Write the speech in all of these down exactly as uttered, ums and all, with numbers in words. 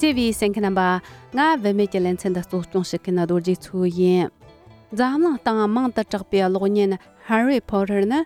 བརྩེ་བའི་གསན་མཁན་རྣམ་པ། ང་བུད་མེད་ཀྱི་ལེ་ཚན་འདི་གཙོ་སྐྱོང་བྱེད་མཁན་རྡོ་རྗེ་མཚོ་ཡིན། འཛམ་གླིང་སྟེང་མང་དུ་གྲགས་པའི་གློག་བརྙན་Harry Potter་ནི་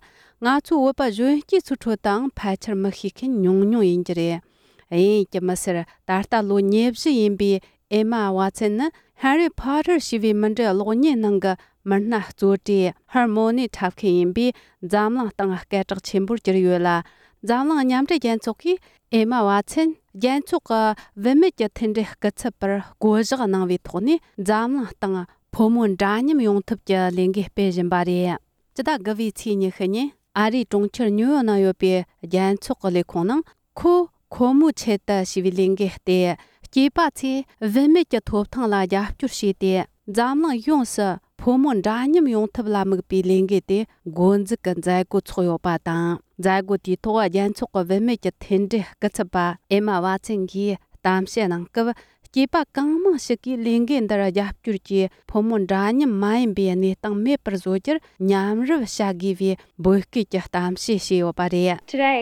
ང་ཚོའི་བོད་པ་གཞོན་སྐྱེས་ཚོའི་ཁྲོད་དུའང་ཕལ་ཆེར་མི་ཤེས་མཁན་ཉུང་ཉུང་ཡིན་གྱི་རེད། དབྱིན་ཡིག་གི་མི་སེར་ད་ལྟ་ལོ་ཉེར་བཞི་ཡིན་པའི་Emma Watson་ནི་Harry Potter་ཞེས་པའི་མི་འདྲའི་གློག་བརྙན་ནང་གི་མི་སྣ་གཙོ་གྲས་Hermione་འཁྲབ་མཁན་ཡིན་པས་འཛམ་གླིང་སྟེང་སྐད་གྲགས་ཆེན་པོར་གྱུར་ཡོད་ལ། འཛམ་གླིང་མཉམ་འབྲེལ་རྒྱལ་ཚོགས་ཀྱིས་Emma Watson་རྒྱལ་ཚོགས་ཀྱི་བུད་མེད་ཀྱི་མཐུན་སྒྲིལ་སྐུ་ཚབ་པར་བསྐོ་གཞག་གནང་བའི་ཐོག་ནས། འཛམ་གླིང་སྟེང་ཕོ་མོ་འདྲ་མཉམ་ཡོང་ཐབས་ཀྱི་ལས་འགུལ་སྤེལ་བཞིན་པ་རེད། སྤྱི་ཟླ་དགུ་པའི་ཚེས་ཉི་ཤུ་ཉིན་ཨ་རིའི་གྲོང་ཁྱེར་ཉུའུ་ཡོག་ནང་ཡོད་པའི་རྒྱལ་ཚོགས་ཀྱི་ལས་ཁུངས་ནང་། ཁོ་ཁོ་མོའི་ཆེད་དུ་ཞེས་པའི་ལས་འགུལ་སྟེ། སྐྱེས་པ་ཚོས་བུད་མེད་ཀྱི་ཐོབ་ཐང་ལ་རྒྱབ་སྐྱོར་བྱས་ཏེ། འཛམ་གླིང་ཡོངས་སུ་ཕོ་མོ་འདྲ་མཉམ་ཡོང་ཐབས་ལ་དམིགས་པའི་ལས་འགུལ་དེ་འགོ་འཛུགས་ཀྱི་མཛད་སྒོ་ཚོགས་ཡོད་པ་དང་། མཛད་སྒོ་དེའི་ཐོག་རྒྱལ་ཚོགས་ཀྱི་བུད་མེད་ཀྱི་མཐུན་སྒྲིལ་སྐུ་ཚབ་པ་ཨེ་མ་ཝ་ཚན་གྱིས་གཏམ་བཤད་གནང་སྐབས། སྐྱེས་པ་གང་མང་ཞིག་གིས་ལས་འགུལ་འདིར་རྒྱབ་སྐྱོར་གྱིས་ཕོ་མོ་འདྲ་མཉམ་མ་ཡིན་པའི་གནས་སྟངས་མེད་པར་བཟོ་རྒྱུར་མཉམ་རུབ་བྱ་དགོས་པའི་འབོད་སྐུལ་གྱི་གཏམ་བཤད་བྱས་ཡོད་པ་རེད། Today,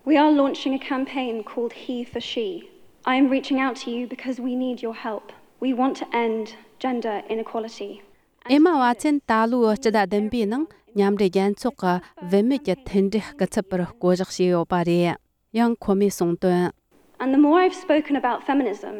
we are launching a campaign called He for She. I am reaching out to you because we need your help. We want to end gender inequality. ཨེ་མ་ཝ་ཚན་ད་ལོའི་སྤྱི་ཟླ་བདུན་པའི་ནང་མཉམ་འབྲེལ་རྒྱལ་ཚོགས་ཀྱི་བུད་མེད་ཀྱི་མཐུན་སྒྲིལ་སྐུ་ཚབ་པར་བསྐོ་གཞག་བྱས་ཡོད་པ་རེད། ཡང་ཁོ་མོས་གསུངས་དོན། And the more I've spoken about feminism,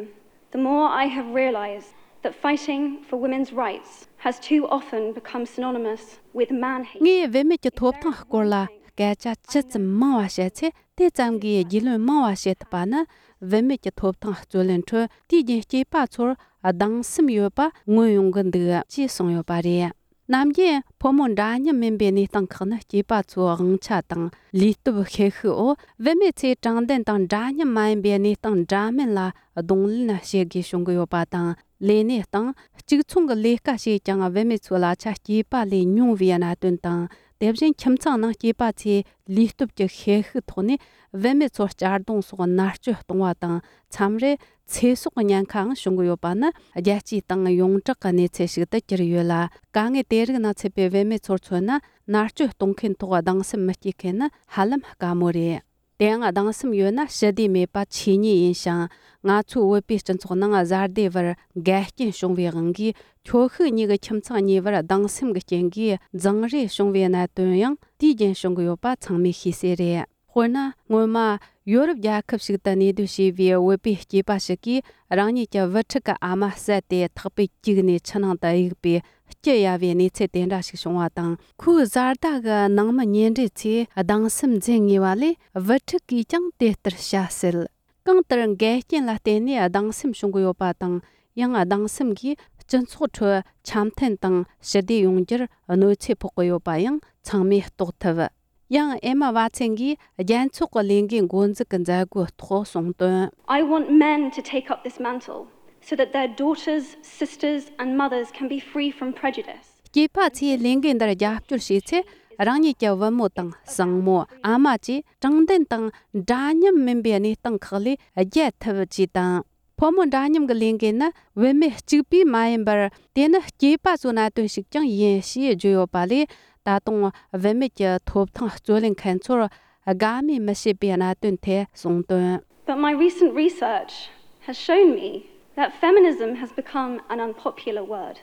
the more I have realized that fighting for women's rights has too often become synonymous with man hate. ངས་བུད་མེད་ཀྱི་ཐོབ་ཐང་སྐོར་ལ་སྐད་ཆ་ཇི་ཙམ་མང་བ་བཤད་ཚེ། དེ་ཙམ་གྱིས་རྒྱུས་ལོན་མང་བ་བྱེད་ཐུབ་པ་ནི། བུད་མེད་ཀྱི་ཐོབ་ཐང་རྩོད་ལེན་ཁྲོད་དུས་རྒྱུན་སྐྱེས་པ་ཚོར་སྡང་སེམས་ཡོད་པ་མངོན་ཡོང་གི་འདུག་ཅེས་གསུངས་ཡོད་པ་རེད། ནམ་རྒྱུན་ཕོ་མོ་འདྲ་མཉམ་མིན་པའི་གནས་སྟངས་ཁག་ནི་སྐྱེས་པ་ཚོའི་དབང་ཆ་དང་ལུས་སྟོབས་ཤེད་ཤུགས་འོག་བུད་མེད་ཚོས་དྲང་བདེན་དང་འདྲ་མཉམ་མ་ཡིན་པའི་གནས་སྟངས་འདྲ་མིན་ལ་གདོང་ལེན་བྱེད་དགོས་བྱུང་གི་ཡོད་པ་དང་། ལས་གནས་སྟེང་གཅིག་མཚུངས་ཀྱི་ལས་ཀ་བྱས་ཀྱང་བུད་མེད་ཚོའི་གླ་ཆ་སྐྱེས་པ་ལས་ཉུང་བའི་གནད་དོན་དང་། དེ་བཞིན་ཁྱིམ་ཚང་ནང་སྐྱེས་པ་ཚོས་ལུས་སྟོབས་ཀྱི་ཤེད་ཤུགས་ཐོག་ནས་བུད་མེད་ཚོར་གཅར་རྡུང་སོགས་མནར་གཅོད་གཏོང་བ་དང་། མཚམས་རེ་ཚེ་སྲོག་གི་ཉེན་ཁའང་བྱུང་གི་ཡོད་པ་ནི་རྒྱལ་སྤྱིའི་སྟེང་ཡོངས་གྲགས་ཀྱི་གནས་ཚུལ་ཞིག་ཏུ་གྱུར་ཡོད་ལ། དཀའ་ངལ་དེ་རིགས་ནང་ཚུད་པའི་བུད་མེད་ཚོར་མཚོན་ན། མནར་གཅོད་གཏོང་མཁན་ཐོག་སྡང་སེམས་མི་སྐྱེ་མཁན་ནི་ཧ་ལམ་དཀའ་མོ་རེད། དེའང་སྡང་སེམས་ཡོད་ན་ཞི་བདེ་མེད་པ་ཆོས་ཉིད་ཡིན་ཞིང་། ང་ཚོའི་བོད་པའི་སྤྱི་ཚོགས་ནང་བཟའ་ཟླའི་བར་འགལ་རྐྱེན་བྱུང་བའི་དབང་གིས། ཁྱོ་ཤུག་གཉིས་ཀྱི་ཁྱིམ་ཚང་གཉིས་བར་སྡང་སེམས་ཀྱི་རྐྱེན་གྱིས་འཛིང་རེས་བྱུང་བའི་གནད་དོན་ཡང་དུས་རྒྱུན་བྱུང་གི་ཡོད་པ་ཚང་མས་ཤེས་གསལ་རེད། དཔེར་ན། སྔོན་མ་ཡོ་རོབ་རྒྱལ་ཁབ་ཞིག་ཏུ་གནས་སྡོད་བྱས་པའི་བོད་པའི་སྐྱེས་པ་ཞིག་གིས། རང་ཉིད་ཀྱི་བུ་ཕྲུག་གི་ཨ་མ་བསད་དེ་ཐག་པས་བཀྱིགས་ནས་ཆུ་ནང་དུ་གཡུགས་པའི་སྐྱི་གཡའ་བའི་གནས་ཚུལ་དེ་འདྲ་ཞིག་བྱུང་བ་དང་། ཁོའི་བཟའ་ཟླ་གི་ནང་མི་ཉེ་འབྲེལ་ཚོས་སྡང་སེམས་འཛིན་ངེས་པ་ལས། བུ་ཕྲུག་གིས་ཀྱང་དེ་ལྟར་བྱ་སྲིད། གང་ལྟར་འགལ་རྐྱེན་ལ་བརྟེན་ནས་སྡང་སེམས་བྱུང་གི་ཡོད་པ་དང་། ཡང་སྡང་སེམས་ཀྱིས་སྤྱི་ཚོགས་ཁྲོད་འཆམ་མཐུན་དང་ཞི་བདེ་ཡོང་རྒྱུར་གནོད་འཚེ་ཕོག་གི་ཡོད་པ་ཡང་ཚང་མས་རྟོགས་ཐུབ། ཡང་ཨེ་མ་ཝ་ཚན་གྱིས་རྒྱལ་ཚོགས་ཀྱི་ལས་འགུལ་འགོ་འཛུགས་ཀྱི་མཛད་སྒོའི་ཐོག་གསུངས་དོན། I want men to take up this mantle so that their daughters, sisters, and mothers can be free from prejudice. སྐྱེས་པ་ཚོས་ལས་འགུལ་འདིར་རྒྱབ་སྐྱོར་བྱས་ཚེ། རང་ཉིད་ཀྱི་བུ་མོ་དང་སྲིང་མོ། ཨ་མ་བཅས་དྲང་བདེན་དང་འདྲ་མཉམ་མིན་པའི་གནས་སྟངས་ཁག་ལས་རྒྱལ་ཐུབ་ཅེས་དང་། ཕོ་མོ་འདྲ་མཉམ་གྱི་ལས་འགུལ་ནི་བུད་མེད་གཅིག་པུས་མ་ཡིན་པར། དེ་ནི་སྐྱེས་པ་ཚོའི་གནད་དོན་ཞིག་ཀྱང་ཡིན་ཞེས་བརྗོད་ཡོད་པ་ལས། ད་དུང་བུད་མེད་ཀྱི་ཐོབ་ཐང་རྩོད་ལེན་མཁན་ཚོར་དགའ་མོས་མི་བྱེད་པའི་གནད་དོན་ཐད་གསུངས་དོན། But my recent research has shown me that feminism has become an unpopular word.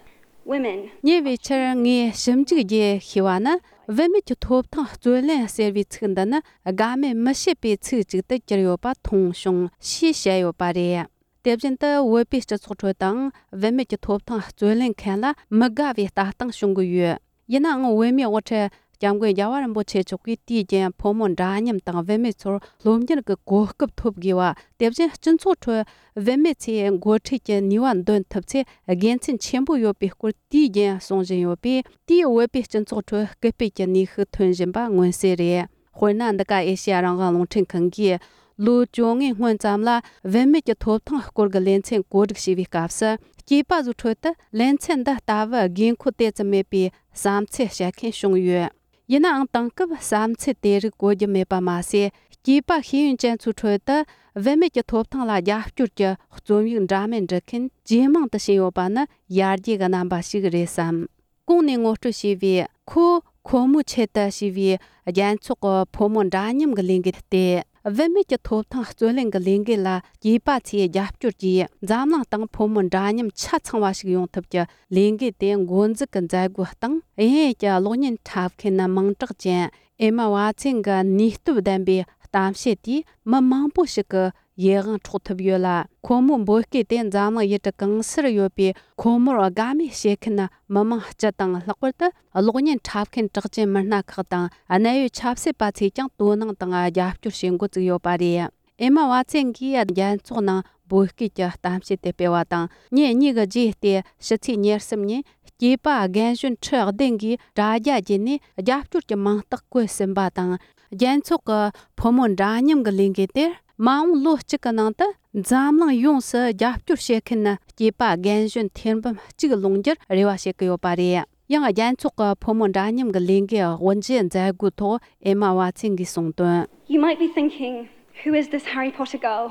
Women. ཉེ་བའི་ཆར་ངས་ཞིབ་འཇུག་བརྒྱུད་ཤེས་པ་ནི། བུད་མེད་ཀྱི་ཐོབ་ཐང་རྩོད་ལེན་ཟེར་བའི་ཚིག་འདི་ནི་དགའ་མོས་མི་བྱེད་པའི་ཚིག་ཅིག་ཏུ་གྱུར་ཡོད་པ་མཐོང་བྱུང་ཞེས་བཤད་ཡོད་པ་རེད། དེ་བཞིན་དུ་བོད་པའི་སྤྱི་ཚོགས་ཁྲོད་དུའང་བུད་མེད་ཀྱི་ཐོབ་ཐང་རྩོད་ལེན་མཁན་ལ་མི་དགའ་བའི་ལྟ་སྟངས་བྱུང་གི་ཡོད། ཡིན་ནའང་བོད་མིའི་དབུ་ཁྲིད་སྐྱབས་མགོན་རྒྱལ་བ་རིན་པོ་ཆེ་མཆོག་གིས་དུས་རྒྱུན་ཕོ་མོ་འདྲ་མཉམ་དང་བུད་མེད་ཚོར་སློབ་གཉེར་གྱི་གོ་སྐབས་ཐོབ་དགོས་པ། དེ་བཞིན་སྤྱི་ཚོགས་ཁྲོད་བུད་མེད་ཚོས་འགོ་ཁྲིད་ཀྱི་ནུས་པ་འདོན་ཐུབ་ཚེ་དགེ་མཚན་ཆེན་པོ་ཡོད་པའི་སྐོར་དུས་རྒྱུན་གསུང་བཞིན་ཡོད་པས། དེས་བོད་པའི་སྤྱི་ཚོགས་ཁྲོད་སྐུལ་སྤེལ་གྱི་ནུས་ཤུགས་ཐོན་བཞིན་པ་མངོན་གསལ་རེད། དཔེར་ན། འདི་ག་ཨེ་ཤེ་ཡ་རང་དབང་རླུང་འཕྲིན་ཁང་གིས་ལོ་བཅོ་ལྔའི་སྔོན་ཙམ་ལ་བུད་མེད་ཀྱི་ཐོབ་ཐང་སྐོར་གྱི་ལེ་ཚན་གོ་སྒྲིག་བྱས་པའི་སྐབས་སུ། སྐྱེས་པ་ཚོའི་ཁྲོད་དུ་ལེ་ཚན་འདི་ལྟ་བུ་དགོས་མཁོ་དེ་ཙམ་མེད་པའི་བསམ་ཚུལ་བཤད་མཁན་བྱུང་ཡོད། ཡིན་ནའང་། དེང་སྐབས་བསམ་ཚུལ་དེ་རིགས་གོ་རྒྱུ་མེད་པ་མ་ཟད། སྐྱེས་པ་ཤེས་ཡོན་ཅན་ཚོའི་ཁྲོད་དུ་བུད་མེད་ཀྱི་ཐོབ་ཐང་ལ་རྒྱབ་སྐྱོར་གྱི་རྩོམ་ཡིག་འདྲ་མིན་འབྲི་མཁན་ཇེ་མང་དུ་ཕྱིན་ཡོད་པ་ནི་ཡར་རྒྱས་ཀྱི་རྣམ་པ་ཞིག་རེད་བསམ། གོང་ནས་ངོ་སྤྲོད་བྱས་པའི་ཁོ་ཁོ་མོའི་ཆེད་དུ་ཞེས་པའི་རྒྱལ་ཚོགས་ཀྱི་ཕོ་མོ་འདྲ་མཉམ་གྱི་ལས་འགུལ་སྟེ། བུད་མེད་ཀྱི་ཐོབ་ཐང་རྩོད་ལེན་གྱི་ལས་འགུལ་ལ་སྐྱེས་པ་ཚོས་རྒྱབ་སྐྱོར་གྱིས་འཛམ་གླིང་སྟེང་ཕོ་མོ་འདྲ་མཉམ་ཆ་ཚང་བ་ཞིག་ཡོང་ཐབས་ཀྱི་ལས་འགུལ་དེ་འགོ་འཛུགས་ཀྱི་མཛད་སྒོའི་སྟེང་དབྱིན་ཡུལ་གྱི་གློག་བརྙན་འཁྲབ་མཁན་མིང་གྲགས་ཅན་ཨེ་མ་ཝ་ཚན་གྱི་ནུས་སྟོབས་ལྡན་པའི་གཏམ་བཤད་དེས་མི་མང་པོ་ཞིག་གི་ཡིད་དབང་འཕྲོག་ཐུབ་ཡོད་ལ། ཁོ་མོའི་འབོད་སྐུལ་དེ་འཛམ་གླིང་ཡུལ་གྲུ་གང་སར་ཡོད་པའི་ཁོ་མོར་དགའ་མོས་བྱེད་མཁན་མི་མང་སྤྱི་དང་ལྷག་པར་དུ་གློག་བརྙན་འཁྲབ་མཁན་གྲགས་ཅན་མི་སྣ་ཁག་དང་གནད་ཡོད་ཆབ་སྲིད་པ་ཚོས་ཀྱང་དོ་སྣང་དང་རྒྱབ་སྐྱོར་བྱེད་འགོ་བཙུགས་ཡོད་པ་རེད། ཨེ་མ་ཝ་ཚན་གྱིས་རྒྱལ་ཚོགས་ནང་འབོད་སྐུལ་གྱི་གཏམ་བཤད་དེ་སྤེལ་བ་དང་། ཉིན་གཉིས་ཀྱི་རྗེས་ཏེ་ཕྱི་ཚེས་ཉེར་གསུམ་ཉིན་སྐྱེས་པ་རྒན་གཞོན་ཁྲི་བདུན་གྱིས་དྲ་རྒྱ་བརྒྱུད་ནས་རྒྱབ་སྐྱོར་གྱི་མིང་རྟགས་བཀོད་ཟིན་པ་དང་། རྒྱལ་ཚོགས་ཀྱི་ཕོ་མོ་འདྲ་མཉམ་གྱི་ལས་འགུལ་དེར་མ་འོངས་ལོ་གཅིག་གི་ནང་དུ་འཛམ་གླིང་ཡོངས་སུ་རྒྱབ་སྐྱོར་བྱེད་མཁན་སྐྱེས་པ་རྒན་གཞོན་ཐེར་འབུམ་གཅིག་ལོངས་རྒྱུར་རེ་བ་བྱེད་ཀྱི་ཡོད་པ་རེད། ཡང་རྒྱལ་ཚོགས་ཀྱི་ཕོ་མོ་འདྲ་མཉམ་གྱི་ལས་འགུལ་དབུ་འབྱེད་མཛད་སྒོའི་ཐོག་ཨེ་མ་ཝ་ཚན་གྱིས་གསུངས་དོན། You might be thinking, who is this Harry Potter girl?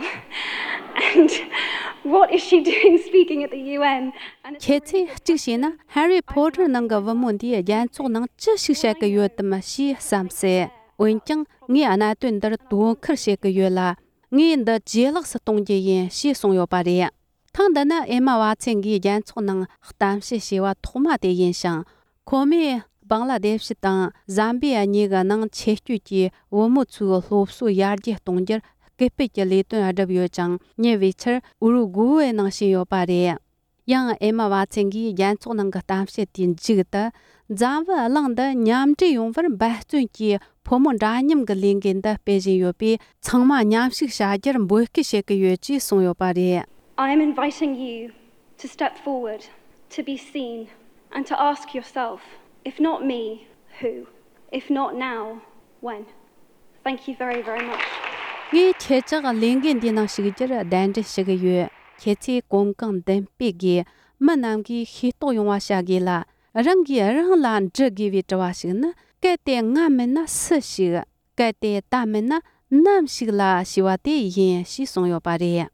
And what is she doing speaking at the U N? And it's ཁྱེད་ཚོས་གཅིག་བྱས་ན་ཧེ་རི་ཕོ་ཊར་ནང་གི་བུ་མོ་འདིས་རྒྱལ་ཚོགས་ནང་ཅི་ཞིག་བཤད་ཀྱི་ཡོད་དམ་ཞེས་བསམ་སྲིད། འོན་ཀྱང་ངས་གནད་དོན་འདིར་དོ་ཁུར་བྱེད་ཀྱི་ཡོད་ལ། ངས་འདི་ཇེ་ལེགས་སུ་གཏོང་རྒྱུ་ཡིན་ཞེས་གསུངས་ཡོད་པ་རེད། ཐེངས་འདི་ནི་ཨེ་མ་ཝ་ཚན་གྱིས་རྒྱལ་ཚོགས་ནང་གཏམ་བཤད་བྱས་པ་ཐོག་མ་དེ་ཡིན་ཞིང་། ཁོ་མོས་བང་ལ་དེ་ཤི་དང་ཟམ་བི་ཡ་གཉིས་ཀྱི་ནང་ཆེད་བསྐྱོད་ཀྱིས་བུ་མོ་ཚོའི་སློབ་གསོ་ཡར་རྒྱས་གཏོང་རྒྱུར་སྐུལ་སྤེལ་གྱི་ལས་དོན་བསྒྲུབས་ཡོད་ཅིང་། ཉེ་བའི་ཆར་ཨུ་རུ་གུ་ཝེ་ནང་ཕྱིན་ཡོད་པ་རེད། ཡང་ཨེ་མ་ཝ་ཚན་གྱིས་རྒྱལ་ཚོགས་ནང་གི་གཏམ་བཤད་དེའི་མཇུག་ཏུ། འཛམ་བུ་གླིང་འདི་མཉམ་འབྲེལ་ཡོང་བར་འབད་བརྩོན་གྱིས་ཕོ་མོ་འདྲ་མཉམ་གྱི་ལས་འགུལ་འདི་སྤེལ་བཞིན་ཡོད་པས། ཚང་མ་མཉམ་ཞུགས་བྱ་རྒྱུར་འབོད་སྐུལ་བྱེད་ཀྱི་ཡོད་ཅེས་གསུངས་ཡོད་པ་རེད། I am inviting you to step forward, to be seen, and to ask yourself, if not me, who? If not now, when? Thank you very, very much. ངས་ཁྱེད་ཅག་ལས་འགུལ་འདིའི་ནང་ཞུགས་རྒྱུར་གདན་འདྲེན་ཞུ་གི་ཡོད། ཁྱེད་ཚོས་གོམ་གང་མདུན་སྤོས་ཀྱིས་མི་རྣམས་ཀྱིས་ཤེས་རྟོགས་ཡོང་བ་བྱ་དགོས་ལ། རང་གིས་རང་ལ་འདྲི་དགོས་པའི་དྲི་བ་ཞིག་ནི། གལ་ཏེ་ང་མིན་ན་སུ་ཞིག་གལ་ཏེ་ད་མིན་ན་ནམ་ཞིག་ལ་ཞེས་པ་དེ་ཡིན་ཞེས་གསུངས་ཡོད་པ་རེད།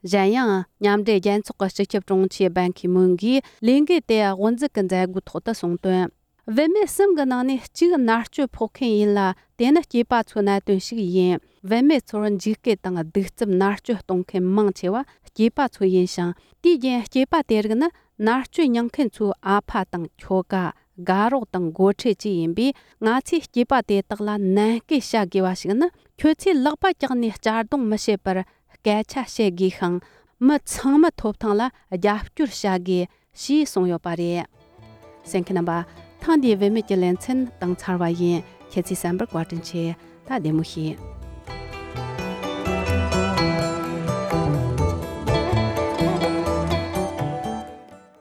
གཞན་ཡང་། མཉམ་འབྲེལ་རྒྱལ་ཚོགས་ཀྱི་སྤྱི་ཁྱབ་དྲུང་ཆེ་བན་ཁི་མུན་གྱིས་ལས་འགུལ་དེ་དབུ་འཛུགས་ཀྱི་མཛད་སྒོའི་ཐོག་ཏུ་གསུངས་དོན། བུད་མེད་གསུམ་གྱི་ནང་ནས་གཅིག་མནར་གཅོད་ཕོག་མཁན་ཡིན་ལ། དེ་ནི་སྐྱེས་པ་ཚོའི་གནད་དོན་ཞིག་ཡིན། བུད་མེད་ཚོར་འཇིགས་སྐུལ་དང་གདུག་རྩུབ་མནར་གཅོད་གཏོང་མཁན་མང་ཆེ་བ་སྐྱེས་པ་ཚོ་ཡིན་ཞིང་། དེའི་རྐྱེན་སྐྱེས་པ་དེ་རིགས་ནི་མནར་གཅོད་མྱངས་མཁན་ཚོའི་ཨ་ཕ་དང་ཁྱོ་ག་དགའ་རོགས་དང་འགོ་ཁྲིད་བཅས་ཡིན་པས། ང་ཚོས་སྐྱེས་པ་དེ་དག་ལ་ནན་སྐུལ་བྱ་དགོས་པ་ཞིག་ནི། ཁྱོད་ཚོས་ལག་པ་བཀྱགས་ནས་གཅར་རྡུང་མི་བྱེད་པར་སྐད་ཆ་བཤད་དགོས་ཤིང་། མི་ཚང་མའི་ཐོབ་ཐང་ལ་རྒྱབ་སྐྱོར་བྱ་དགོས་ཞེས་གསུངས་ཡོད་པ་རེད། གསན་མཁན་རྣམ་པ། ཐེངས་འདིའི་བུད་མེད་ཀྱི་ལེ་ཚན་དང་ཚར་བ་ཡིན། ཁྱེད་ཚོས་གསན་པར་བཀའ་དྲིན་ཆེ། ད་བདེ་མོ་བྱོས།